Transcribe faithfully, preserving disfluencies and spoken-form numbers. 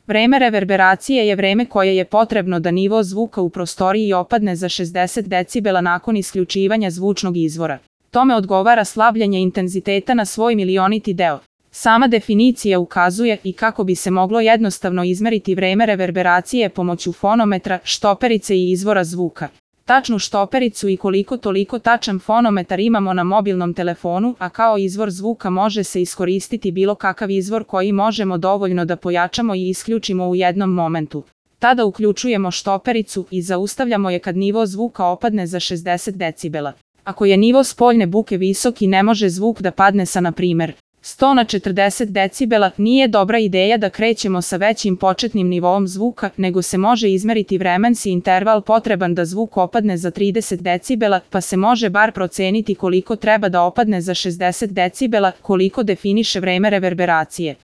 Vreme reverberacije je vreme koje je potrebno da nivo zvuka u prostoriji opadne za šezdeset decibela nakon isključivanja zvučnog izvora. Tome odgovara slavljenje intenziteta na svoj milioniti deo. Sama definicija ukazuje i kako bi se moglo jednostavno izmeriti vreme reverberacije pomoću fonometra, štoperice i izvora zvuka. Tačnu štopericu i koliko toliko tačan fonometar imamo na mobilnom telefonu, a kao izvor zvuka može se iskoristiti bilo kakav izvor koji možemo dovoljno da pojačamo i isključimo u jednom momentu. Tada uključujemo štopericu i zaustavljamo je kad nivo zvuka opadne za šezdeset decibela. Ako je nivo spoljne buke visok i ne može zvuk da padne sa na primer sto na četrdeset decibela, nije dobra ideja da krećemo sa većim početnim nivoom zvuka, nego se može izmeriti vremenski interval potreban da zvuk opadne za trideset decibela, pa se može bar proceniti koliko treba da opadne za šezdeset decibela, koliko definiše vreme reverberacije.